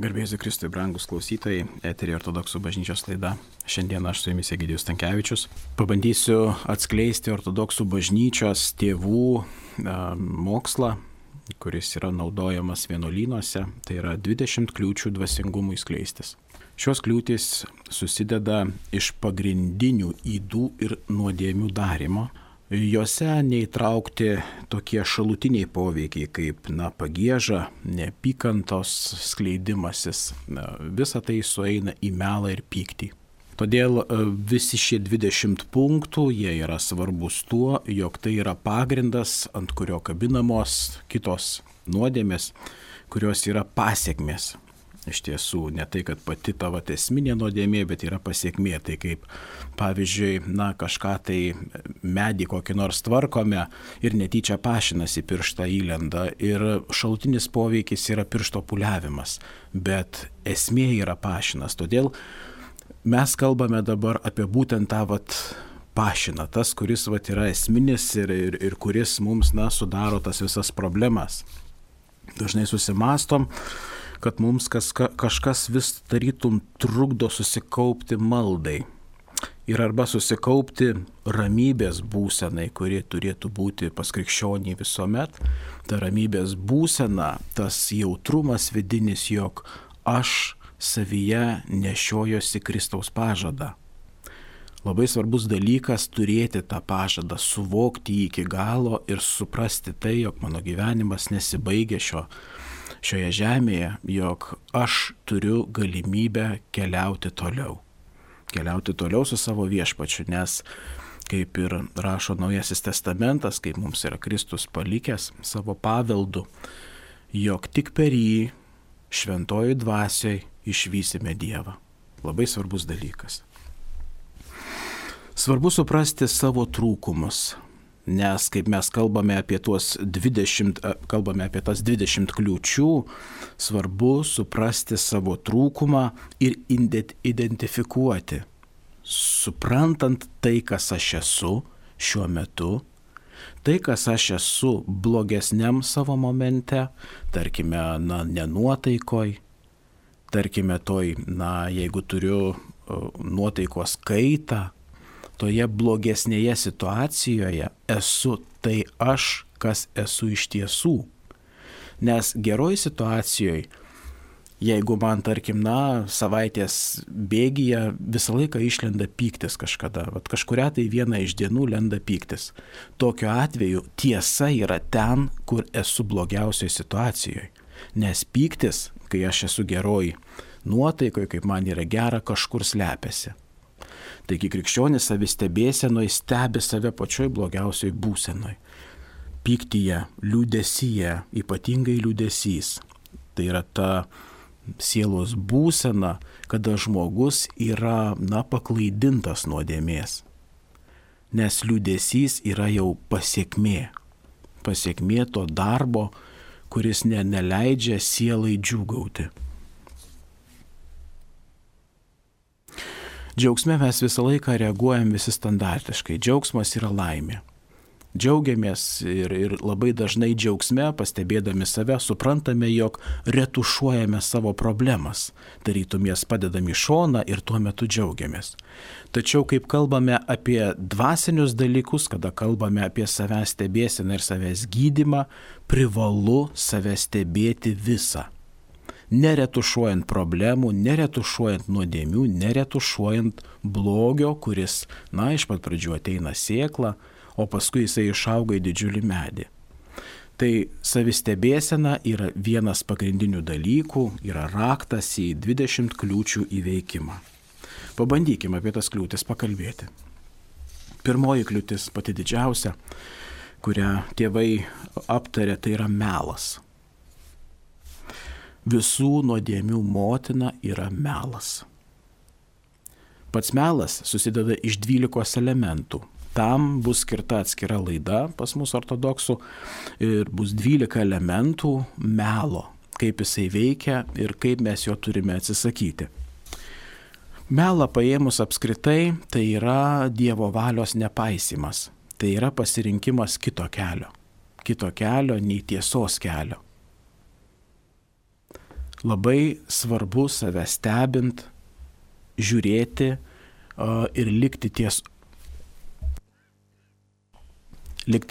Garbėsiu Kristui, brangus klausytojai, eterį ortodoksų bažnyčios laida. Šiandien aš su jumis Egidijus Stankevičius. Pabandysiu atskleisti ortodoksų bažnyčios tėvų mokslą, kuris yra naudojamas vienuolynuose. Tai yra 20 kliūčių dvasingumui skleistis. Šios kliūtys susideda iš pagrindinių ydų ir nuodėmių darimo. Jose neįtraukti tokie šalutiniai poveikiai kaip pagieža, neapykantos skleidimasis. Visa tai sueina į melą ir pyktį. Todėl visi šie 20 punktų, jie yra svarbus tuo, jog tai yra pagrindas, ant kurio kabinamos kitos nuodėmės, kurios yra pasekmės. Iš tiesų, ne tai, kad pati tavo esminė nuodėmė, bet yra pasiekmė. Tai kaip, pavyzdžiui, kažką tai medį kokį nors tvarkome ir netyčia pašinas į pirštą įlenda ir šalutinis poveikis yra piršto pūliavimas, bet esmė yra pašinas. Todėl mes kalbame dabar apie būtent tą pašiną, tas, kuris yra esminis ir kuris mums sudaro tas visas problemas. Dažnai susimastom, kad mums kažkas vis tarytum trukdo susikaupti maldai. Ir arba susikaupti ramybės būsenai, kuri turėtų būti pas krikščionį visuomet. Ta ramybės būsena, tas jautrumas vidinis, jog aš savyje nešiojosi Kristaus pažadą. Labai svarbus dalykas turėti tą pažadą, suvokti jį iki galo ir suprasti tai, jog mano gyvenimas nesibaigia šioje žemėje, jog aš turiu galimybę keliauti toliau su savo viešpačiu, nes kaip ir rašo Naujasis testamentas, kaip mums yra Kristus palikęs savo paveldu, jog tik per jį šventojoj dvasioj išvysime Dievą. Labai svarbus dalykas. Svarbu suprasti savo trūkumus, nes kaip mes kalbame apie tas 20 kliūčių, svarbu suprasti savo trūkumą ir identifikuoti, suprantant tai, kas aš esu šiuo metu, tai, kas aš esu blogesniam savo momente, tarkime, nenuotaikoj, tarkime jeigu turiu nuotaikos kaitą, toje blogesnėje situacijoje esu tai aš, kas esu iš tiesų. Nes geroj situacijoje, jeigu man, tarkim, savaitės bėgyje visą laiką išlenda pyktis kažkada, kažkuria tai viena iš dienų lenda pyktis. Tokiu atveju tiesa yra ten, kur esu blogiausioje situacijoje. Nes pyktis, kai aš esu geroj nuotaikoje, kaip man yra gera, kažkur slepiasi. Taigi krikščionis savistebėsenoj stebi save pačioj blogiausioj būsenoj. Pyktyje, liūdesyje, ypatingai liūdesys. Tai yra ta sielos būsena, kada žmogus yra, paklaidintas nuodėmės. Nes liūdesys yra jau pasiekmė. Pasiekmė to darbo, kuris neleidžia sielai džiūgauti. Džiaugsme mes visą laiką reaguojam visi standartiškai. Džiaugsmas yra laimė. Džiaugiamės ir labai dažnai džiaugsme, pastebėdami save, suprantame, jog retušuojame savo problemas. Tarytum jas padedam į šoną ir tuo metu džiaugiamės. Tačiau, kaip kalbame apie dvasinius dalykus, kada kalbame apie savęs stebėseną ir savęs gydymą, privalu save stebėti visą. Neretušuojant problemų, neretušuojant nuodėmių, neretušuojant blogio, kuris, iš pat pradžių ateina sėkla, o paskui jisai išauga į didžiulį medį. Tai savistebėsena yra vienas pagrindinių dalykų, yra raktas į 20 kliūčių įveikimą. Pabandykime apie tas kliūtis pakalbėti. Pirmoji kliūtis, pati didžiausia, kurią tėvai aptarė, tai yra melas. Visų nuodėmių motina yra melas. Pats melas susideda iš 12 elementų. Tam bus skirta atskira laida pas mus ortodoksų ir bus 12 elementų melo, kaip jisai veikia ir kaip mes jo turime atsisakyti. Melą paėmus apskritai, tai yra Dievo valios nepaisymas. Tai yra pasirinkimas kito kelio nei tiesos kelio. Labai svarbu save stebint, žiūrėti ir likti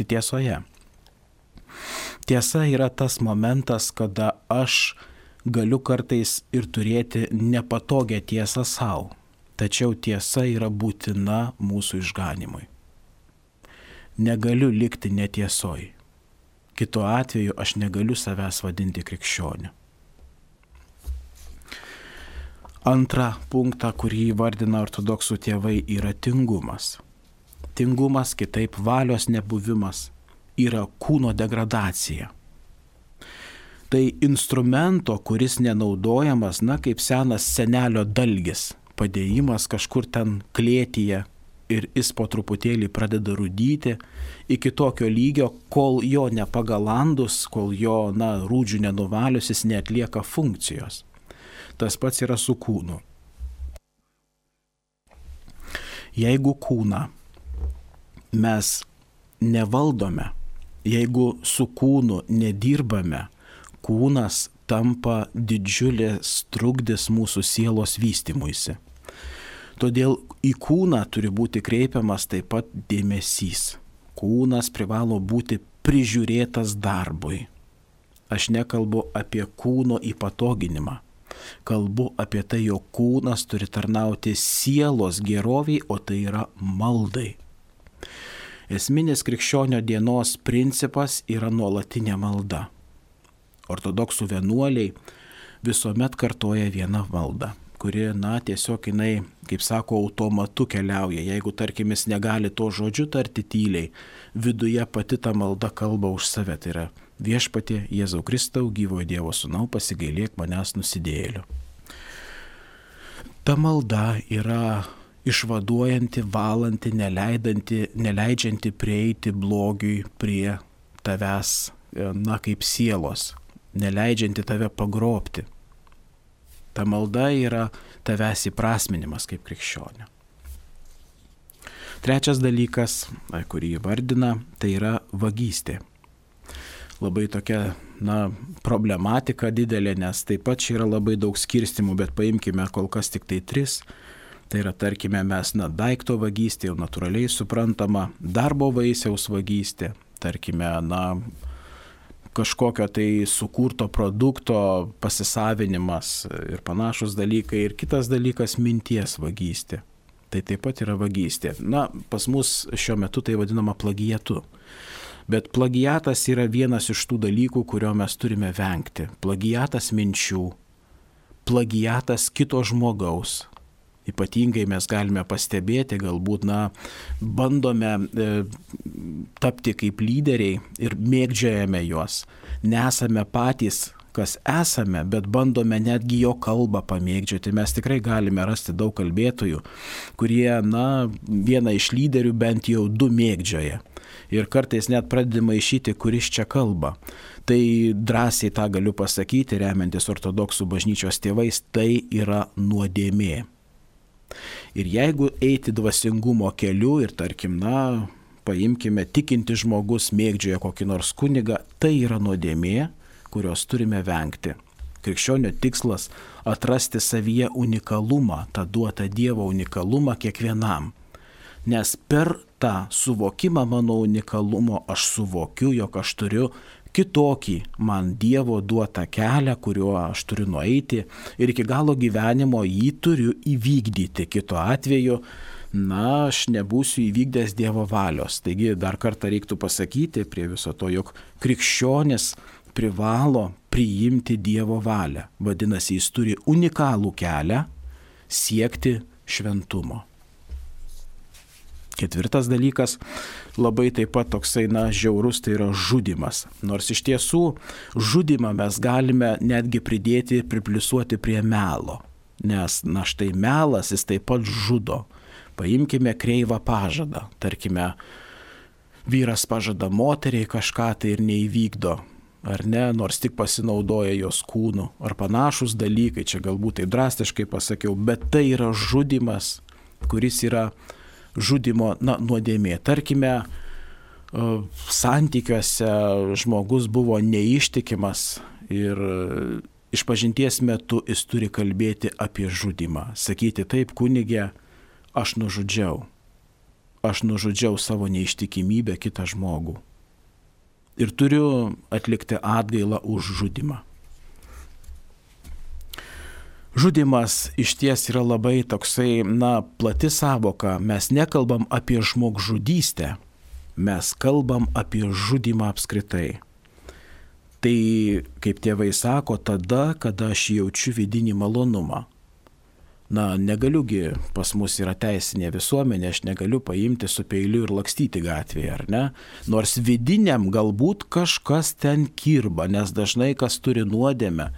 tiesoje. Tiesa yra tas momentas, kada aš galiu kartais ir turėti nepatogią tiesą savo, tačiau tiesa yra būtina mūsų išganimui. Negaliu likti netiesoj. Kitu atveju aš negaliu savęs vadinti krikščioniu. Antrą punktą, kurį įvardina ortodoksų tėvai, yra tingumas. Tingumas, kitaip valios nebuvimas, yra kūno degradacija. Tai instrumento, kuris nenaudojamas, kaip senas senelio dalgis, padėjimas kažkur ten klėtyje ir jis po truputėlį pradeda rūdyti iki tokio lygio, kol jo nepagalandus, kol jo rūdžių nenuvalius, jis neatlieka funkcijos. Tas pats yra su kūnu. Jeigu kūną mes nevaldome, jeigu su kūnu nedirbame, kūnas tampa didžiulis trukdis mūsų sielos vystymuisi. Todėl į kūną turi būti kreipiamas taip pat dėmesys. Kūnas privalo būti prižiūrėtas darbui. Aš nekalbu apie kūno įpatoginimą. Kalbu apie tai, jog kūnas turi tarnauti sielos geroviai, o tai yra maldai. Esminis krikščionio dienos principas yra nuolatinė malda. Ortodoksų vienuoliai visuomet kartoja vieną maldą, kuri, tiesiog jinai, kaip sako, automatu keliauja. Jeigu, tarkim, jis negali to žodžiu tarti tyliai, viduje pati ta malda kalba už save. Tai yra: Viešpatie Jėzau Kristau, gyvojo Dievo Sūnau, pasigailėk manęs nusidėjėliu. Ta malda yra išvaduojanti, valanti, neleidžianti prieiti blogiui prie tavęs, kaip sielos, neleidžianti tave pagrobti. Ta malda yra tavęs įprasminimas kaip krikščionio. Trečias dalykas, kurį įvardina, tai yra vagystė. Labai tokia, problematika didelė, nes taip pat čia yra labai daug skirstimų, bet paimkime kol kas tik tai 3. Tai yra, tarkime, mes, daikto vagystė, jau natūraliai suprantama, darbo vaisiaus vagystė, tarkime, kažkokio tai sukurto produkto pasisavinimas ir panašus dalykai. Ir kitas dalykas - minties vagystė. Tai taip pat yra vagystė. Pas mus šiuo metu tai vadinama plagiatu. Bet plagiatas yra vienas iš tų dalykų, kurio mes turime vengti. Plagiatas minčių, plagiatas kito žmogaus. Ypatingai mes galime pastebėti, galbūt, bandome tapti kaip lyderiai ir mėgdžiojame juos. Nesame patys, kas esame, bet bandome netgi jo kalbą pamėgdžioti. Mes tikrai galime rasti daug kalbėtojų, kurie, vieną iš lyderių bent jau 2 mėgdžioja. Ir kartais net pradedama maišyti, kuris čia kalba. Tai drąsiai tą galiu pasakyti, remiantis ortodoksų bažnyčios tėvais, tai yra nuodėmė. Ir jeigu eiti dvasingumo keliu ir, tarkim, paimkime, tikinti žmogus mėgdžioja kokį nors kunigą, tai yra nuodėmė, kurios turime vengti. Krikščionio tikslas - atrasti savyje unikalumą, tą duotą Dievo unikalumą kiekvienam. Nes per tą suvokimą mano unikalumo aš suvokiu, jog aš turiu kitokį man Dievo duotą kelią, kuriuo aš turiu nueiti ir iki galo gyvenimo jį turiu įvykdyti. Kitu atveju, aš nebūsiu įvykdęs Dievo valios. Taigi dar kartą reiktų pasakyti prie viso to, jog krikščionis privalo priimti Dievo valią. Vadinasi, jis turi unikalų kelią siekti šventumo. Ketvirtas dalykas, labai taip pat toksai, žiaurus, tai yra žudymas. Nors iš tiesų žudymą mes galime netgi pripliusuoti prie melo. Nes, štai melas, jis taip pat žudo. Paimkime kreivą pažadą. Tarkime, vyras pažada moteriai kažką tai ir neįvykdo. Ar ne, nors tik pasinaudoja jos kūnu. Ar panašus dalykai, čia galbūt taip drastiškai pasakiau, bet tai yra žudymas, kuris yra žudymo nuodėmė. Tarkime, santykiuose žmogus buvo neištikimas ir Išpažinties metu jis turi kalbėti apie žudymą. Sakyti taip, kunigė, aš nužudžiau savo neištikimybę kitą žmogų. Ir turiu atlikti atgailą už žudymą. Žudymas išties yra labai toksai, plati savoka. Mes nekalbam apie žmogžudystę, mes kalbam apie žudymą apskritai. Tai, kaip tėvai sako, tada, kada aš jaučiu vidinį malonumą. Negaliugi, pas mus yra teisinė visuomenė, aš negaliu paimti su peiliu ir lakstyti gatvėje, ar ne? Nors vidiniam galbūt kažkas ten kirba, nes dažnai kas turi nuodėmę,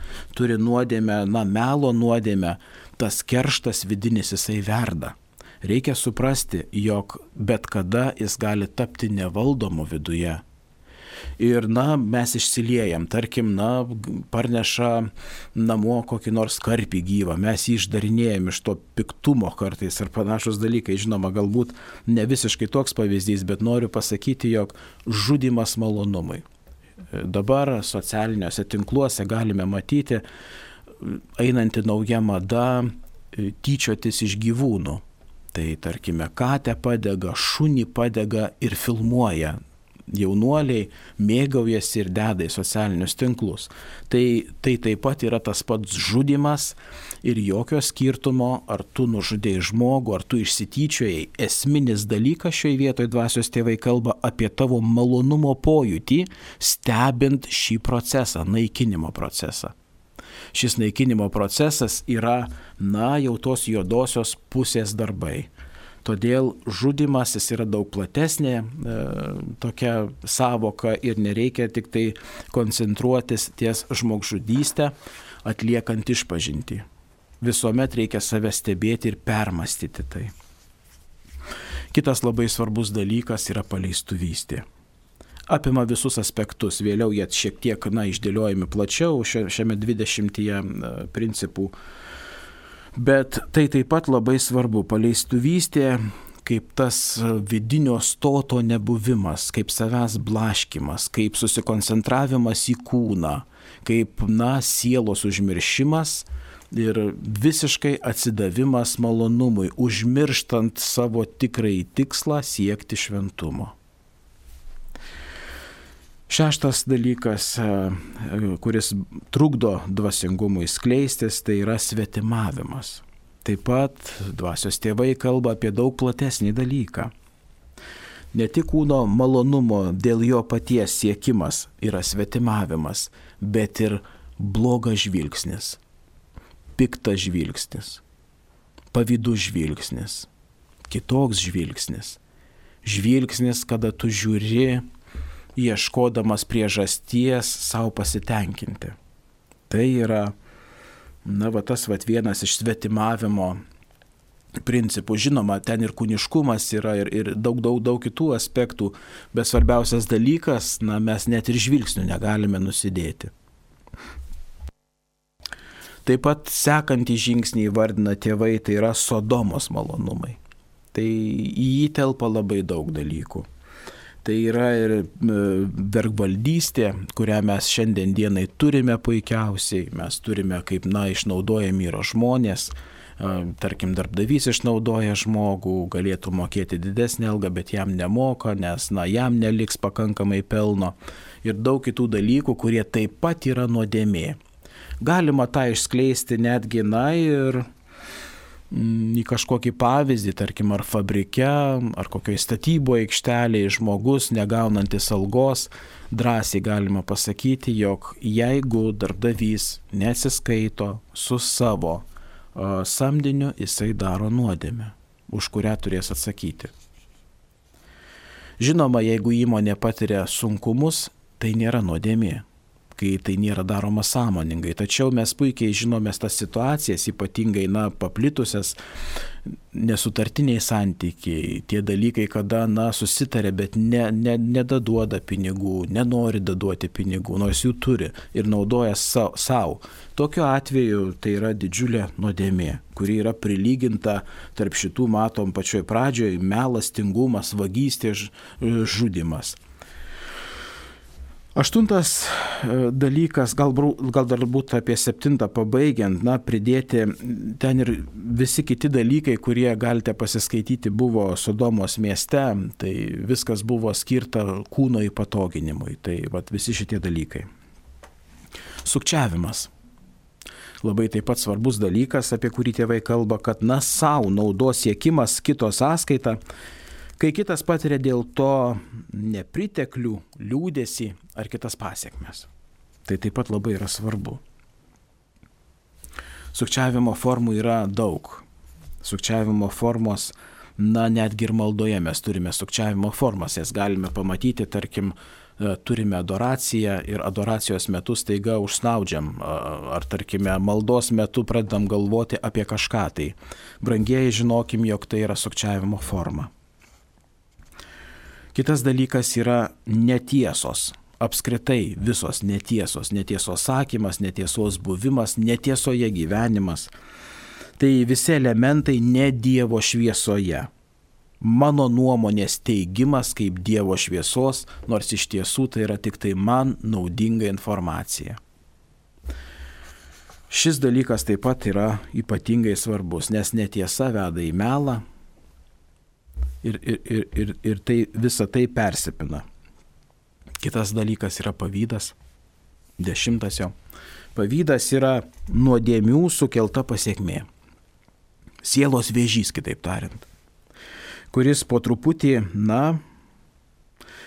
melo nuodėmę, tas kerštas vidinis jisai verda. Reikia suprasti, jog bet kada jis gali tapti nevaldomu viduje. Ir mes išsiliejam, tarkim, parneša namo kokį nors karpį gyvą, mes jį išdarinėjam iš to piktumo kartais ar panašus dalykai. Žinoma, galbūt ne visiškai toks pavyzdys, bet noriu pasakyti, jog žudymas malonumui. Dabar socialiniuose tinkluose galime matyti einanti nauja mada tyčiotis iš gyvūnų. Tai tarkime, katę padega, šunį padega ir filmuoja. Jaunuoliai mėgaujasi ir deda į socialinius tinklus. Tai taip pat yra tas pats žudymas ir jokio skirtumo, ar tu nužudėjai žmogų, ar tu išsityčiojai. Esminis dalykas šioje vietoje dvasios tėvai kalba apie tavo malonumo pojūtį, stebint šį procesą, naikinimo procesą. Šis naikinimo procesas yra, jau tos juodosios pusės darbai. Todėl žudymas jis yra daug platesnė tokia savoka ir nereikia tik tai koncentruotis ties žmogžudystę, atliekant išpažintį. Visuomet reikia save stebėti ir permastyti tai. Kitas labai svarbus dalykas yra paleistuvystė. Apima visus aspektus, vėliau jie šiek tiek išdėliojami plačiau šiame 20 principų. Bet tai taip pat labai svarbu, paleistuvystė kaip tas vidinio stoto nebuvimas, kaip savęs blaškimas, kaip susikoncentravimas į kūną, kaip sielos užmiršimas ir visiškai atsidavimas malonumui, užmirštant savo tikrąjį tikslą siekti šventumo. Šeštas dalykas, kuris trukdo dvasingumui skleistis, tai yra svetimavimas. Taip pat dvasios tėvai kalba apie daug platesnį dalyką. Ne tik kūno malonumo dėl jo paties siekimas yra svetimavimas, bet ir blogas žvilgsnis, piktas žvilgsnis, pavydus žvilgsnis, kitoks žvilgsnis. Žvilgsnis, kada tu žiūri ieškodamas priežasties savo pasitenkinti. Tai yra, tas vienas iš svetimavimo principų. Žinoma, ten ir kūniškumas yra ir daug kitų aspektų, bet svarbiausias dalykas, mes net ir žvilgsnių negalime nusidėti. Taip pat sekantį žingsnį įvardina tėvai, tai yra Sodomos malonumai. Tai į jį telpa labai daug dalykų. Tai yra ir vergvaldystė, kurią mes šiandien dienai turime puikiausiai. Mes turime, kaip išnaudojami yra žmonės. Tarkim, darbdavys išnaudoja žmogų, galėtų mokėti didesnį algą, bet jam nemoka, nes jam neliks pakankamai pelno. Ir daug kitų dalykų, kurie taip pat yra nuodėmė. Galima tą išskleisti netgi ir į kažkokį pavyzdį, tarkim, ar fabrike, ar kokioje statyboje aikštelėje žmogus negaunantis algos, drąsiai galima pasakyti, jog jeigu darbdavys nesiskaito su savo samdiniu, jisai daro nuodėmę, už kurią turės atsakyti. Žinoma, jeigu įmonė patiria sunkumus, tai nėra nuodėmė, kai tai nėra daroma sąmoningai. Tačiau mes puikiai žinome tas situacijas, ypatingai paplitusias nesutartiniai santykiai, tie dalykai, kada susitarė, bet nedaduoda pinigų, nenori daduoti pinigų, nors jų turi ir naudoja savo. Tokiu atveju tai yra didžiulė nuodėmė, kuri yra prilyginta tarp šitų, matom pačioj pradžioje, melas, tingumas, vagystė, žudymas. Aštuntas dalykas, gal dar būt apie 7 pabaigiant, pridėti ten ir visi kiti dalykai, kurie galite pasiskaityti, buvo Sodomos mieste, tai viskas buvo skirta kūno įpatoginimui, tai visi šitie dalykai. Sukčiavimas. Labai taip pat svarbus dalykas, apie kurį tėvai kalba, kad savo naudos siekimas kito sąskaita, kai kitas patiria dėl to nepriteklių, liūdesį ar kitas pasiekmes. Tai taip pat labai yra svarbu. Sukčiavimo formų yra daug. Sukčiavimo formos, netgi ir maldoje mes turime sukčiavimo formas. Jas galime pamatyti, tarkim, turime adoraciją ir adoracijos metu staiga užsnaudžiam, ar tarkime maldos metu pradedam galvoti apie kažką. Tai brangieji, žinokim, jog tai yra sukčiavimo forma. Kitas dalykas yra netiesos. Apskritai visos netiesos. Netiesos sakymas, netiesos buvimas, netiesoje gyvenimas. Tai visi elementai ne Dievo šviesoje. Mano nuomonės teigimas kaip Dievo šviesos, nors iš tiesų tai yra tik tai man naudinga informacija. Šis dalykas taip pat yra ypatingai svarbus, nes netiesa veda į melą. Ir tai, visa tai persipina. Kitas dalykas yra pavydas. 10 jo. Pavydas yra nuodėmių sukelta pasekmė. Sielos vėžys, kitaip tariant, kuris po truputį,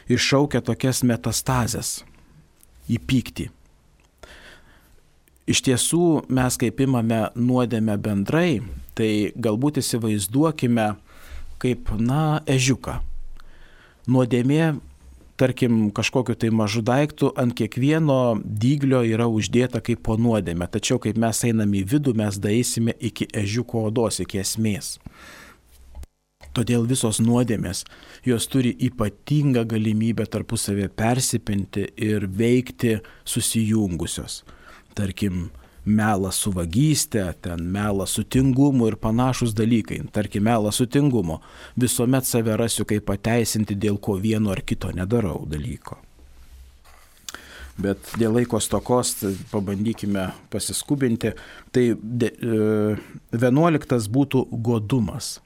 iššaukia tokias metastazes į pyktį. Iš tiesų, mes kaip imame nuodėmę bendrai, tai galbūt įsivaizduokime kaip, ežiuką. Nuodėmė, tarkim, kažkokiu tai mažu daiktu ant kiekvieno dyglio yra uždėta kaip po nuodėmę. Tačiau, kaip mes einame į vidų, mes daeisime iki ežiuko odos, iki esmės. Todėl visos nuodėmės, jos turi ypatingą galimybę tarpusavėje persipinti ir veikti susijungusios. Tarkim, melas su vagyste, melas su tingumu ir panašus dalykai. Tarkim, melas su tingumu. Visuomet save rasiu kaip pateisinti, dėl ko vieno ar kito nedarau dalyko. Bet dėl laiko stokos pabandykime pasiskubinti. Tai 11 būtų godumas.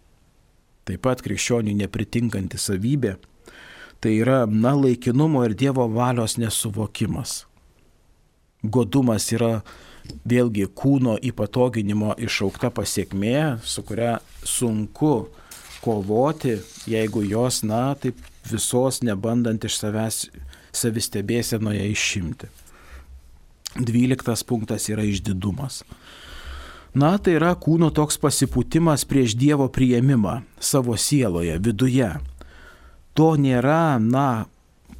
Taip pat krikščioniui nepritinkanti savybė. Tai yra, laikinumo ir Dievo valios nesuvokimas. Godumas yra vėlgi kūno įpatoginimo iššaukta pasiekmė, su kuria sunku kovoti, jeigu jos, taip visos nebandant iš savęs savistebėsenoje išimti. 12 punktas yra išdidumas. Tai yra kūno toks pasipūtimas prieš Dievo priėmimą savo sieloje, viduje. To nėra,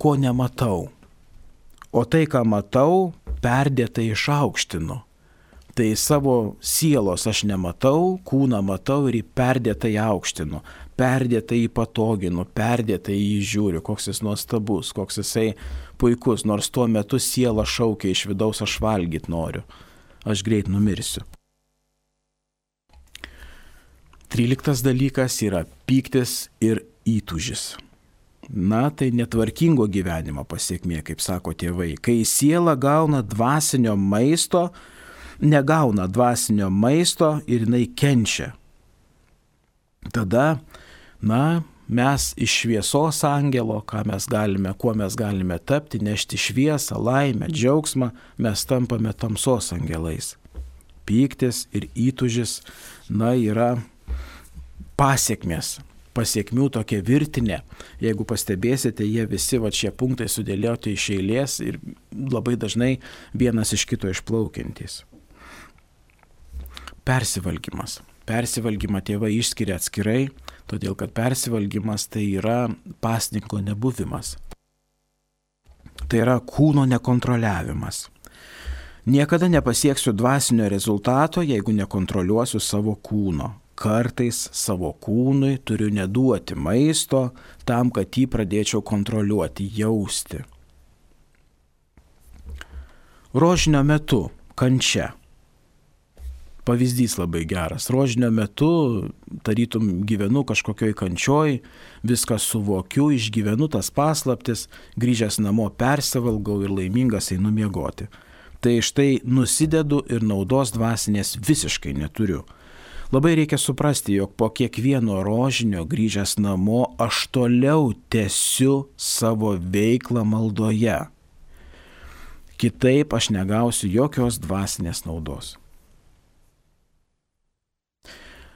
ko nematau. O tai, ką matau, perdėtai išaukštinu. Tai savo sielos aš nematau, kūną matau ir jį perdėtai aukštinu, perdėtai įpatoginu, perdėtai jį žiūriu, koks jis nuostabus, koks jisai puikus, nors tuo metu siela šaukia iš vidaus, aš valgyt noriu, aš greit numirsiu. 13 dalykas yra pyktis ir įtūžis. Tai netvarkingo gyvenimo pasiekmė, kaip sako tėvai. Kai siela negauna dvasinio maisto ir jinai kenčia. Tada, mes iš šviesos angelo, kuo mes galime tapti, nešti šviesą, laimę, džiaugsmą, mes tampame tamsos angelais. Pyktis ir įtūžis, yra pasiekmės. Pasiekmių tokia virtinė. Jeigu pastebėsite, jie visi šie punktai sudėlioti iš eilės ir labai dažnai vienas iš kito išplaukiantys. Persivalgymas. Persivalgymą tėvai išskiria atskirai, todėl kad persivalgymas tai yra pasninko nebuvimas. Tai yra kūno nekontroliavimas. Niekada nepasieksiu dvasinio rezultato, jeigu nekontroliuosiu savo kūno. Kartais savo kūnui turiu neduoti maisto tam, kad jį pradėčiau kontroliuoti, jausti. Rožinio metu kančia. Pavyzdys labai geras. Rožinio metu, tarytum gyvenu kažkokioj kančioj, viską suvokiu, išgyvenu tas paslaptis, grįžęs namo persivalgau ir laimingas einu miegoti. Tai štai nusidedu ir naudos dvasinės visiškai neturiu. Labai reikia suprasti, jog po kiekvieno rožinio grįžęs namo aš toliau tęsiu savo veiklą maldoje. Kitaip aš negausiu jokios dvasinės naudos.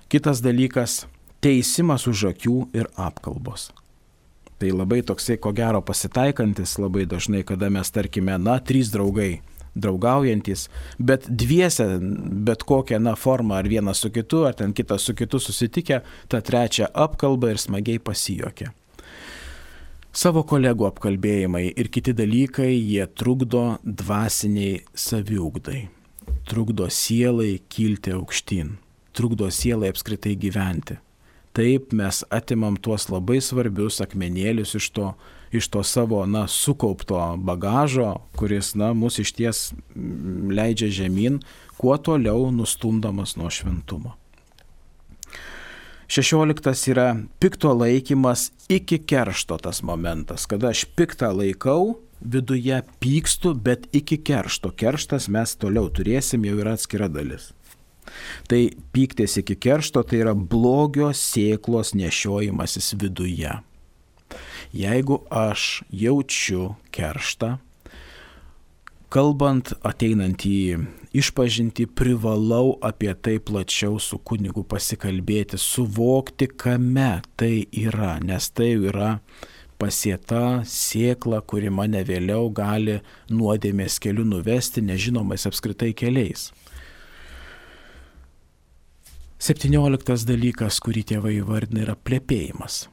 Kitas dalykas – teisimas už akių ir apkalbos. Tai labai toksai, ko gero, pasitaikantis labai dažnai, kada mes, tarkime, 3 draugai draugaujantis, bet dviese, bet kokią formą, ar vienas su kitu, ar ten kitas su kitu susitikę, tą trečią apkalbą ir smagiai pasijuokia. Savo kolegų apkalbėjimai ir kiti dalykai, jie trukdo dvasiniai saviugdai, trukdo sielai kilti aukštyn, trukdo sielai apskritai gyventi. Taip mes atimam tuos labai svarbius akmenėlius iš to savo sukaupto bagažo, kuris mus išties leidžia žemyn, kuo toliau nustumdamas nuo šventumo. 16 yra pikto laikymas iki keršto tas momentas, kada aš piktą laikau, viduje pykstu, bet iki keršto. Kerštas mes toliau turėsim, jau yra atskira dalis. Tai pyktis iki keršto, tai yra blogio sėklos nešiojimasis viduje. Jeigu aš jaučiu kerštą, kalbant, ateinant į išpažintį, privalau apie tai plačiau su kunigu pasikalbėti, suvokti, kame tai yra, nes tai yra pasėta sėkla, kuri mane vėliau gali nuodėmės keliu nuvesti nežinomais apskritai keliais. 17 dalykas, kurį tėvai įvardina, yra plepėjimas.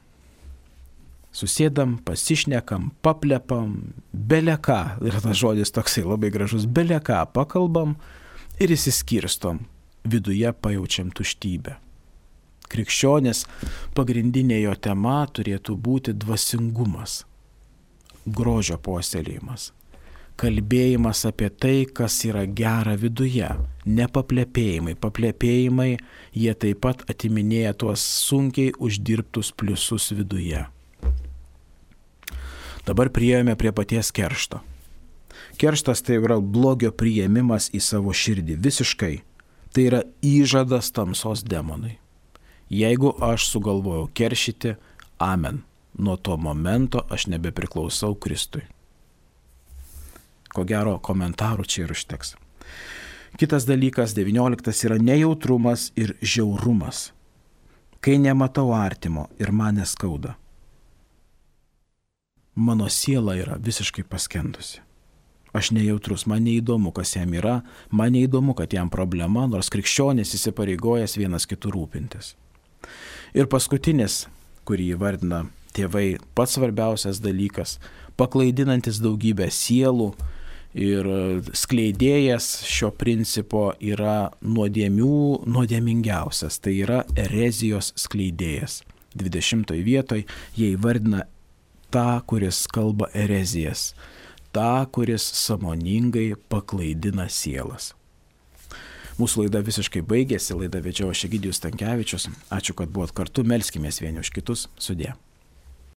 Susėdam, pasišnekam, paplepam, beleką, yra tas žodis toksai labai gražus, beleką pakalbam ir įsiskirstom, viduje pajaučiam tuštybę. Krikščionės pagrindinė jo tema turėtų būti dvasingumas, grožio puoselėjimas, kalbėjimas apie tai, kas yra gera viduje, ne paplepėjimai. Paplepėjimai, jie taip pat atiminėja tuos sunkiai uždirbtus pliusus viduje. Dabar priėjome prie paties keršto. Kerštas tai yra blogio priėmimas į savo širdį visiškai. Tai yra įžadas tamsos demonui. Jeigu aš sugalvojau keršyti, amen. Nuo to momento aš nebepriklausau Kristui. Ko gero, komentarų čia ir užteks. Kitas dalykas, 19, yra nejautrumas ir žiaurumas. Kai nematau artimo ir man neskauda. Mano siela yra visiškai paskendusi. Aš nejautrus, man neįdomu, kas jam yra, man neįdomu, kad jam problema, nors krikščionis įsipareigojęs vienas kitų rūpintis. Ir paskutinis, kurį įvardina tėvai, pats svarbiausias dalykas, paklaidinantis daugybę sielų, ir skleidėjas šio principo yra nuodėmingiausias, tai yra erezijos skleidėjas. 20 vietoj jie įvardina tą, kuris kalba erezijas, tą, kuris sąmoningai paklaidina sielas. Mūsų laida visiškai baigėsi, laidą vedžiau aš Egidijus Stankevičius. Ačiū, kad buvot kartu, melskimės vieni už kitus, sudie.